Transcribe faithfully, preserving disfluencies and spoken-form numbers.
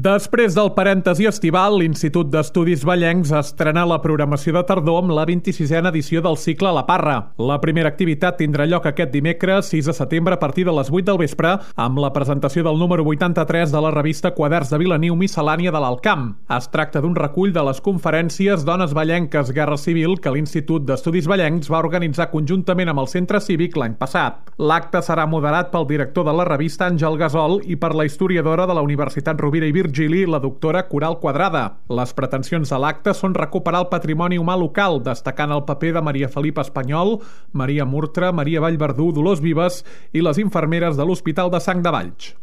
Després del parèntesi estival, l'Institut d'Estudis Vallencs estrena la programació de tardor amb la vint-i-sisena edició del cicle La Parra. La primera activitat tindrà lloc aquest dimecres, sis de setembre, a partir de les vuit del vespre, amb la presentació del número vuitanta-tres de la revista Quaderns de Vilaniu Miscel·lània de l'Alt Camp. Es tracta d'un recull de les conferències Dones Vallenques Guerra Civil que l'Institut d'Estudis Vallencs va organitzar conjuntament amb el Centre Cívic l'any passat. L'acte serà moderat pel director de la revista, Àngel Gasol, i per la historiadora de la Universitat Rovira i Virgili, la doctora Coral Quadrada. Les pretensions de l'acte són recuperar el patrimoni humà local, destacant el paper de Maria Felipa Espanyol, Maria Murtra, Maria Vallverdú, Dolors Vives i les infermeres de l'Hospital de Sang de Valls.